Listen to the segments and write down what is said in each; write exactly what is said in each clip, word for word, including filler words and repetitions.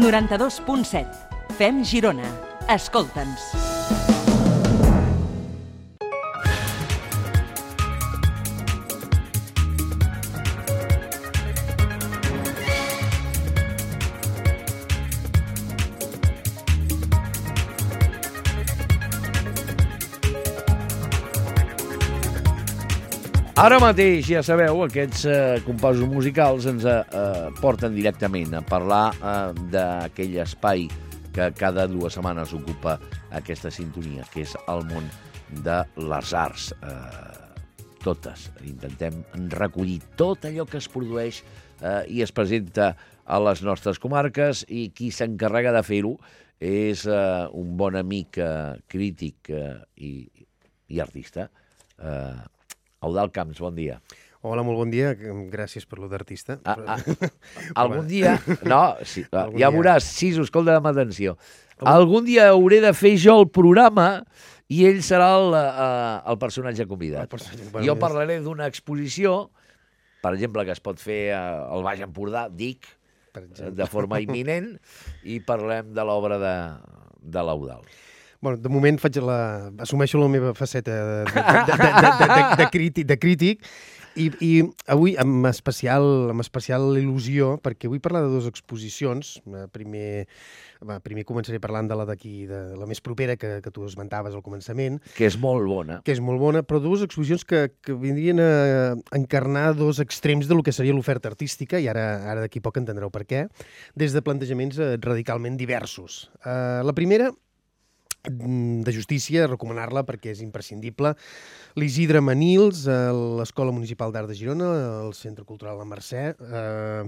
noranta-dos punt set. Fem Girona. Escolta'ns. Ara mateix, ja sabeu, aquests eh, composos musicals ens eh, porten directament a parlar eh, d'aquell espai que cada dues setmanes ocupa aquesta sintonia, que és el món de les arts. Eh, totes. Intentem recollir tot allò que es produeix eh, i es presenta a les nostres comarques, i qui s'encarrega de fer-ho és eh, un bon amic eh, crític eh, i, i artista, eh, Eudald Camps, bon dia. Hola, molt bon dia. Gràcies per lo d'artista. Ah, ah, algun dia... No, sí, algun ja dia. Veuràs, Siso, escolta'm atenció. Algun dia hauré de fer jo el programa i ell serà el, uh, el personatge convidat. El personatge, bueno, jo parlaré d'una exposició, per exemple, que es pot fer al Baix Empordà, dic, de forma imminent, i parlem de l'obra de, de l'Eudald. Bueno, de moment faig la... assumeixo la meva faceta de, de, de, de, de, de, de, crític, de crític i, i avui amb especial, amb especial il·lusió, perquè vull parlar de dues exposicions. Primer, primer començaré parlant de la d'aquí, de la més propera que, que tu esmentaves al començament. Que és molt bona. Que és molt bona, però dues exposicions que, que vindrien a encarnar dos extrems del que seria l'oferta artística, i ara, ara d'aquí poc entendreu per què, des de plantejaments radicalment diversos. Uh, la primera, de justícia, recomanar-la perquè és imprescindible. L'Isidre Manils, a l'Escola Municipal d'Art de Girona, al Centre Cultural La Mercè. Uh,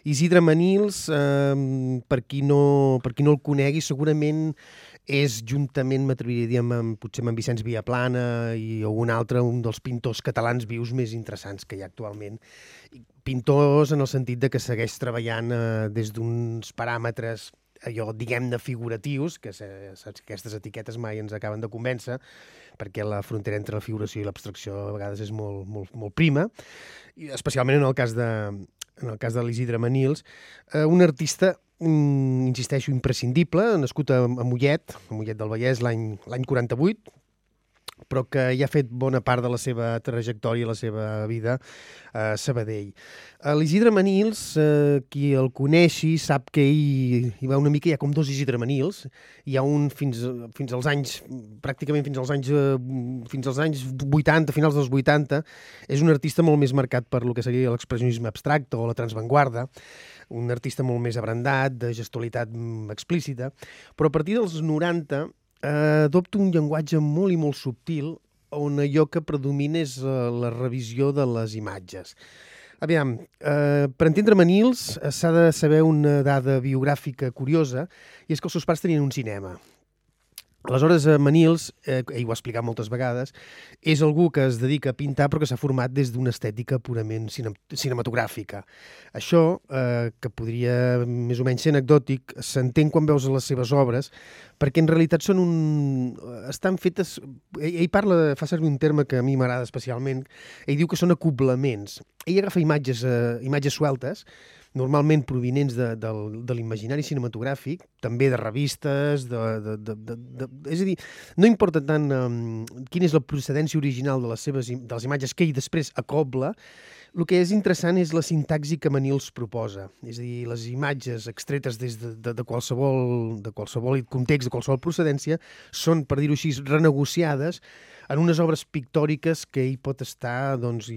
Isidre Manils, uh, per, qui no, per qui no el conegui, segurament és, juntament, m'atreviria a dir, amb, potser amb en Vicenç Viaplana i algun altre, un dels pintors catalans vius més interessants que hi ha actualment. Pintors en el sentit de que segueix treballant uh, des d'uns paràmetres allò, diguem-ne, figuratius, que saps, aquestes etiquetes mai ens acaben de convèncer, perquè la frontera entre la figuració i l'abstracció a vegades és molt, molt, molt prima, i especialment en el cas de, en el cas de l'Isidre Manils, eh, un artista, mm, insisteixo, imprescindible, nascut a, a Mollet, a Mollet del Vallès l'any l'any quaranta-vuit, però que ja ha fet bona part de la seva trajectòria, la seva vida a Sabadell. L'Isidre Manils, eh, qui el coneixi, sap que hi, hi va una mica, hi ha com dos Isidre Manils, hi ha un fins, fins als anys, pràcticament fins als anys, fins als anys vuitanta, finals dels vuitanta, és un artista molt més marcat per lo que seria l'expressionisme abstracte o la transvanguarda, un artista molt més abrandat, de gestualitat explícita, però a partir dels noranta Uh, adopta un llenguatge molt i molt subtil on allò que predomina és uh, la revisió de les imatges. Aviam, uh, per entendre Manils uh, s'ha de saber una dada biogràfica curiosa, i és que els seus pares tenien un cinema. Aleshores, Manils, eh, ell ho ha explicat moltes vegades, és algú que es dedica a pintar però que s'ha format des d'una estètica purament cine cinematogràfica. Això, eh, que podria més o menys ser anecdòtic, s'entén quan veus les seves obres, perquè en realitat són un... estan fetes... Ell, ell parla, fa servir un terme que a mi m'agrada especialment, ell diu que són acoblaments. Ell agafa imatges, eh, imatges sueltes, normalment provinents de, de, de l'imaginari cinematogràfic, també de revistes, de, de, de, de, de, és a dir, no importa tant um, quina és la procedència original de les seves de les imatges que ell després acobla, el que és interessant és la sintaxi que Manils proposa, és a dir, les imatges extretes des de, de, de, qualsevol, de qualsevol context, de qualsevol procedència, són, per dir-ho així, renegociades en unes obres pictòriques que ell pot estar doncs,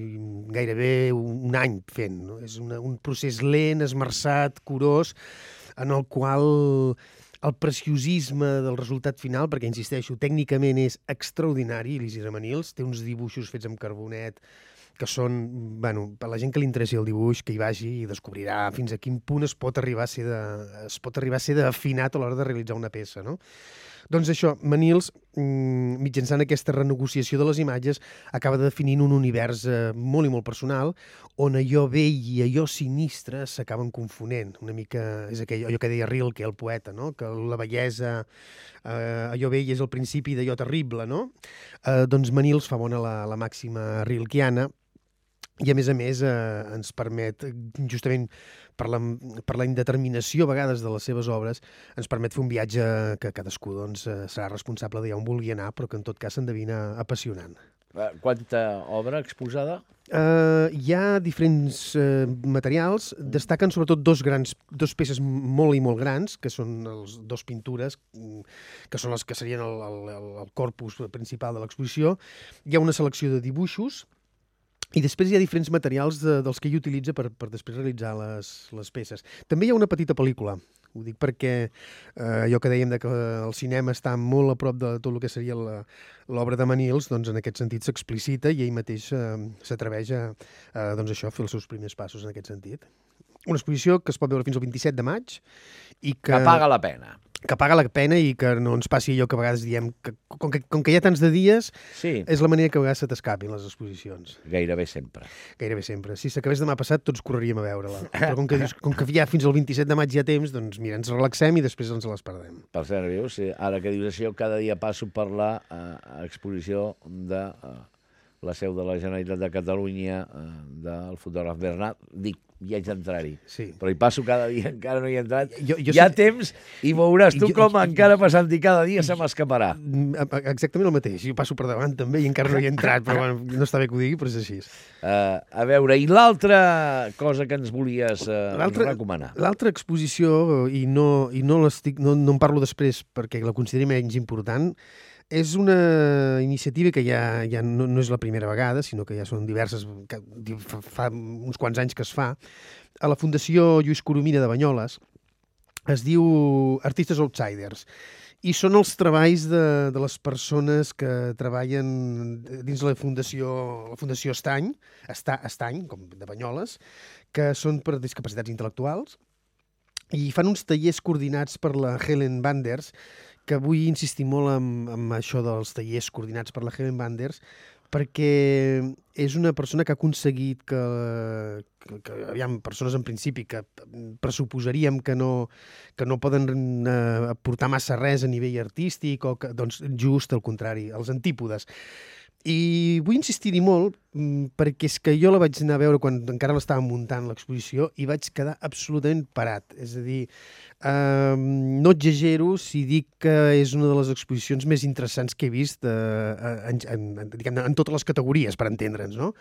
gairebé un any fent. No? És una, un procés lent, esmerçat, curós, en el qual el preciosisme del resultat final, perquè, insisteixo, tècnicament és extraordinari, l'Isidre Manils, té uns dibuixos fets amb carbonet que són, bueno, per la gent que li interessi el dibuix, que hi vagi i descobrirà fins a quin punt es pot arribar a ser de, es pot arribar a ser d'afinat a l'hora de realitzar una peça, no? Doncs això, Manils, mitjançant aquesta renegociació de les imatges, acaba definint un univers eh, molt i molt personal, on allò vell i allò sinistre s'acaben confonent. Una mica és aquell, allò que deia Rilke, el poeta, no? Que la bellesa, eh, allò vell és el principi d'allò terrible, no? Eh, doncs Manils fa bona la, la màxima rilkiana, i a més a més eh, ens permet, justament per la, per la indeterminació a vegades de les seves obres, ens permet fer un viatge que cadascú doncs, eh, serà responsable d'allà on vulgui anar, però que en tot cas s'endevina apassionant. Quanta obra exposada? Uh, hi ha diferents uh, materials, destaquen sobretot dos grans, dos peces molt i molt grans, que són les dos pintures, que són les que serien el, el, el corpus principal de l'exposició. Hi ha una selecció de dibuixos, i després hi ha diferents materials de, dels que ell utilitza per, per després realitzar les, les peces. També hi ha una petita pel·lícula. Ho dic perquè eh, allò que dèiem de que el cinema està molt a prop de tot el que seria l'obra de Manils, doncs en aquest sentit s'explicita i ell mateix eh, s'atreveix a, a doncs això, a fer els seus primers passos en aquest sentit. Una exposició que es pot veure fins al vint-i-set de maig i que... Que paga la pena. Que paga la pena i que no ens passi allò que a vegades diem que com que, com que hi ha tants de dies, sí. És la manera que a vegades se t'escapin les exposicions. Gairebé sempre. Gairebé sempre. Si s'acabés demà passat, tots correríem a veure-la. Però com que, dius, com que ja fins al vint-i-set de maig hi ha temps, doncs mira, ens relaxem i després ens les perdem. Per cert, veus, ara que dius això, cada dia passo per la uh, exposició de uh, la seu de la Generalitat de Catalunya, uh, del fotògraf Bernat. Dic, ja haig d'entrar-hi. Sí. Però hi passo cada dia, encara no hi he entrat. Jo, jo hi ha sé... temps i veuràs tu jo, com jo, encara passant-hi cada dia se m'escaparà. Exactament el mateix. Jo passo per davant també i encara no hi he entrat, però bueno, no està bé que ho digui, però és així. Uh, a veure, i l'altra cosa que ens volies uh, recomanar? L'altra exposició, i, no, i no, no, no en parlo després perquè la consideri menys important, és una iniciativa que ja, ja no, no és la primera vegada, sinó que ja són diverses, que fa, fa uns quants anys que es fa, a la Fundació Lluís Coromina de Banyoles. Es diu Artistes Outsiders. I són els treballs de, de les persones que treballen dins la Fundació, la Fundació Estany, Estany, com de Banyoles, que són per discapacitats intel·lectuals, i fan uns tallers coordinats per la Helen Banders, que vull insistir molt en, en això dels tallers coordinats per la Helen Banders, perquè és una persona que ha aconseguit que, que, que aviam, persones en principi que pressuposaríem que no, que no poden eh, aportar massa res a nivell artístic, o que, doncs just al contrari, els antípodes. I vull insistir-hi molt perquè és que jo la vaig anar a veure quan encara l'estàvem muntant l'exposició i vaig quedar absolutament parat. És a dir, eh, no exagero si dic que és una de les exposicions més interessants que he vist eh, en, en, diguem, en totes les categories, per entendre'ns, no?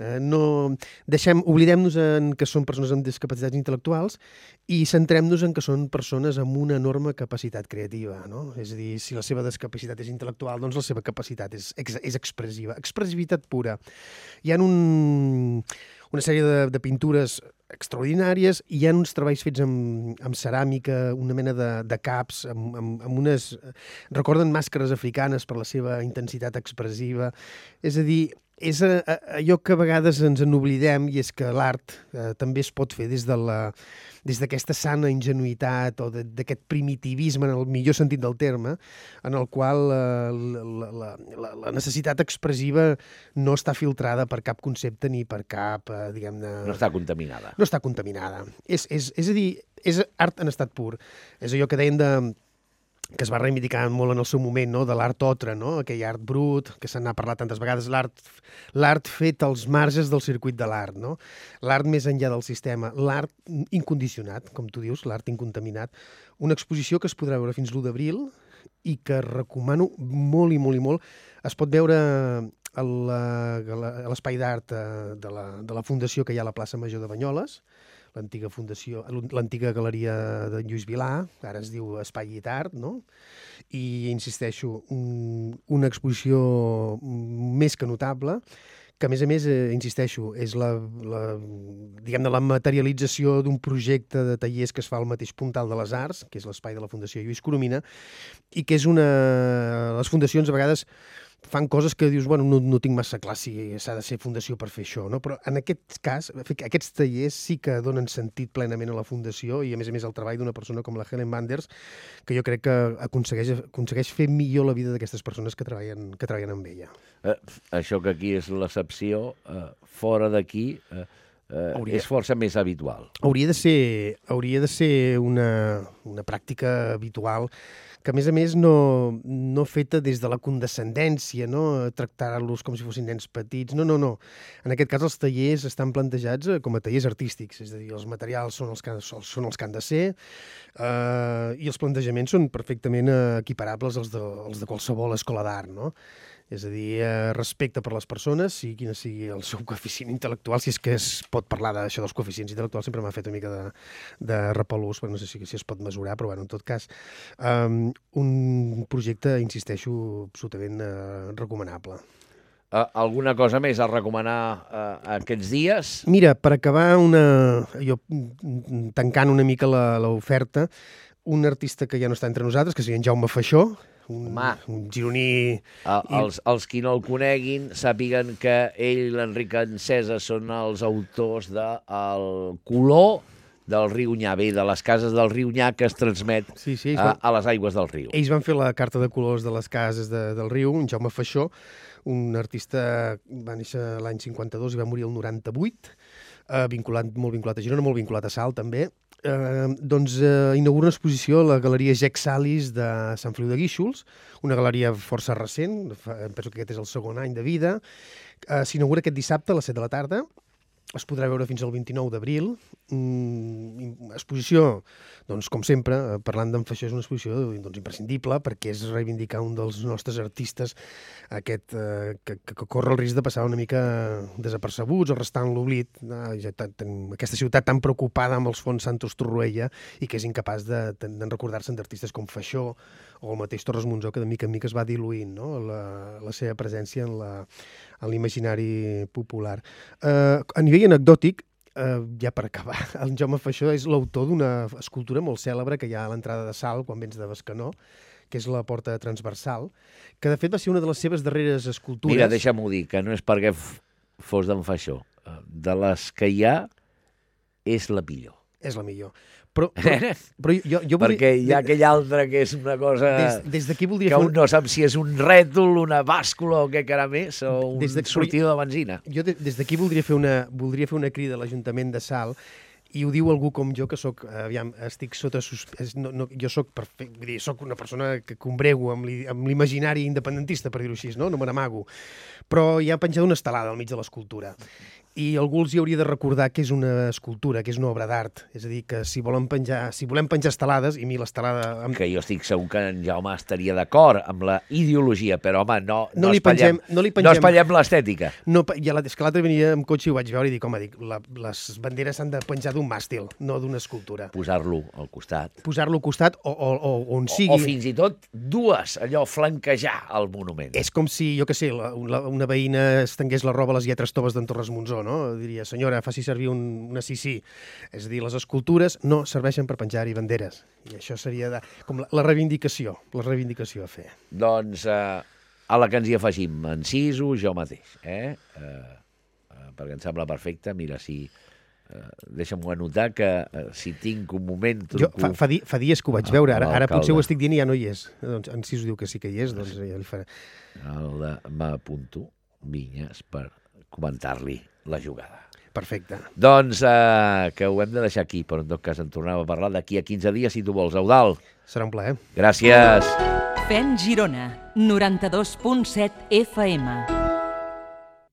Eh, no deixem, oblidem-nos en que són persones amb discapacitats intel·lectuals i centrem-nos en que són persones amb una enorme capacitat creativa, no? És a dir, si la seva discapacitat és intel·lectual, doncs la seva capacitat és, és expressiva, expressivitat pura. Hi ha un, una sèrie de, de pintures extraordinàries i hi ha uns treballs fets amb, amb ceràmica, una mena de, de caps, amb, amb, amb unes... recorden màscares africanes per la seva intensitat expressiva. És a dir, és allò que a vegades ens en oblidem, i és que l'art eh, també es pot fer des de la, des d'aquesta sana ingenuïtat o d'aquest primitivisme, en el millor sentit del terme, en el qual eh, la, la, la, la necessitat expressiva no està filtrada per cap concepte ni per cap, eh, diguem-ne... No està contaminada. No està contaminada. És, és, és a dir, és art en estat pur. És allò que deien de... que es va reivindicar molt en el seu moment, no? De l'art otre, no? Aquell art brut, que se n'ha parlat tantes vegades, l'art l'art fet als marges del circuit de l'art, no? L'art més enllà del sistema, l'art incondicionat, com tu dius, l'art incontaminat. Una exposició que es podrà veure fins l'u d'abril i que recomano molt i molt i molt. Es pot veure a l'espai d'art de la, de la Fundació que hi ha a la plaça Major de Banyoles, l'antiga fundació, l'antiga galeria de Lluís Vilà, ara es diu Espai i Art, no? I, insisteixo, un, una exposició més que notable, que a més a més, eh, insisteixo, és la, la, diguem-ne, la materialització d'un projecte de tallers que es fa al mateix puntal de les Arts, que és l'espai de la Fundació Lluís Coromina, i que és una... Les fundacions a vegades fan coses que dius, bueno, no, no tinc massa clar si s'ha de ser fundació per fer això, no? Però en aquest cas, aquests tallers sí que donen sentit plenament a la fundació i, a més a més, el treball d'una persona com la Helen Banders, que jo crec que aconsegueix, aconsegueix fer millor la vida d'aquestes persones que treballen, que treballen amb ella. Eh, això que aquí és l'excepció, eh, fora d'aquí, eh, eh, Hauria. és força més habitual. Hauria de ser, hauria de ser una, una pràctica habitual que, a més a més, no, no feta des de la condescendència, no? Tractar-los com si fossin nens petits. No, no, no. En aquest cas, els tallers estan plantejats com a tallers artístics, és a dir, els materials són els que, són els que han de ser eh, i els plantejaments són perfectament equiparables als de, als de qualsevol escola d'art, no? És a dir, eh, respecte per les persones, sigui quin sigui el seu coeficient intel·lectual, si és que es pot parlar d'això dels coeficients intel·lectuals, sempre m'ha fet una mica de, de repelús, però no sé si, si es pot mesurar, però bueno, en tot cas, um, un projecte, insisteixo, absolutament eh, recomanable. Uh, alguna cosa més a recomanar uh, aquests dies? Mira, per acabar, una, jo tancant una mica l'oferta, un artista que ja no està entre nosaltres, que seria en Jaume Faixó, un, un gironí... Uh, els, els qui no el coneguin sàpiguen que ell i l'Enric Encesa són els autors de El color del riu Nyà, bé, de les cases del riu Nyà que es transmet sí, sí, a, van, a les aigües del riu. Ells van fer la carta de colors de les cases de, del riu, en Jaume Faixó, un artista va néixer l'any cinquanta-dos i va morir el noranta-vuit, eh, vinculat, molt vinculat a Girona, molt vinculat a Salt, també. Eh, doncs eh, inaugura una exposició a la Galeria Jec Salis de Sant Feliu de Guíxols, una galeria força recent, fa, penso que aquest és el segon any de vida. Eh, S'inaugura aquest dissabte a les set de la tarda, es podrà veure fins al vint-i-nou d'abril. Mm, exposició, doncs, com sempre, parlant d'en Faixó, és una exposició doncs, imprescindible, perquè és reivindicar un dels nostres artistes aquest, eh, que, que corre el risc de passar una mica desapercebuts o restar en l'oblit. Ah, ja aquesta ciutat tan preocupada amb els fons Santos Torroella i que és incapaç de, de, de recordar-se'n d'artistes com Faixó o el mateix Torres Monzó, que de mica en mica es va diluint, no? la, la seva presència en la en l'imaginari popular. Uh, a nivell anecdòtic, uh, ja per acabar, el Jaume Faixó és l'autor d'una escultura molt cèlebre que hi ha a l'entrada de Salt, quan vens de Bescanó, que és la porta transversal, que de fet va ser una de les seves darreres escultures. Mira, deixa'm-ho dir, que no és perquè fos d'en Faixó. De les que hi ha, és la millor. És la millor. Però, però, però jo, jo volia... Perquè hi ha aquell altre que és una cosa des, des d'aquí voldria que fer un no sap si és un rètol, una bàscula o què caram és, o un de... sortidor de benzina. Jo des, des d'aquí voldria fer una voldria fer una crida a l'Ajuntament de Salt, i ho diu algú com jo, que soc, aviam, estic sota... Sus... No, no, jo soc, perfect, vull dir, soc una persona que combrego amb l'imaginari independentista, per dir-ho així, no? No me n'amago. Però hi ha penjat una estelada al mig de l'escultura. I algú els hi hauria de recordar que és una escultura, que és una obra d'art. És a dir, que si volen penjar, si volem penjar estelades, i a mi l'estelada... Que jo estic segur que en Jaume estaria d'acord amb la ideologia, però, home, no, no, no, li, espatllem, pengem, no li pengem... No espatllem l'estètica. No, i la, és que l'altre venia amb cotxe i ho vaig veure i dic, home, dic, la, les banderes s'han de penjar d'un màstil, no d'una escultura. Posar-lo al costat. Posar-lo al costat o, o, o on sigui... O, o fins i tot dues, allò, flanquejar el monument. És com si, jo què sé, la, una, una veïna estengués la roba a les lletres toves d'en Torres Monzó, no? Diria, senyora, faci servir un, una sisí. És a dir, les escultures no serveixen per penjar-hi banderes. I això seria de, com la, la reivindicació, la reivindicació a fer. Doncs eh, a la que ens hi afegim, enciso jo mateix, eh? Eh, eh, perquè em sembla perfecte. Mira, si... Uh, deixa'm-ho anotar, que uh, si tinc un moment... Jo, fa, fa, di, fa dies que ho vaig veure, ara, ara potser ho estic dient i ja no hi és. Doncs, en Cis diu que sí que hi és, doncs ja li faré. M'apunto Vinyes per comentar-li la jugada. Perfecte. Doncs uh, que ho hem de deixar aquí, però en tot cas en tornem a parlar d'aquí a quinze dies, si tu vols. Eudald. Serà un plaer. Gràcies. Fem Girona, noranta-dos punt set F M.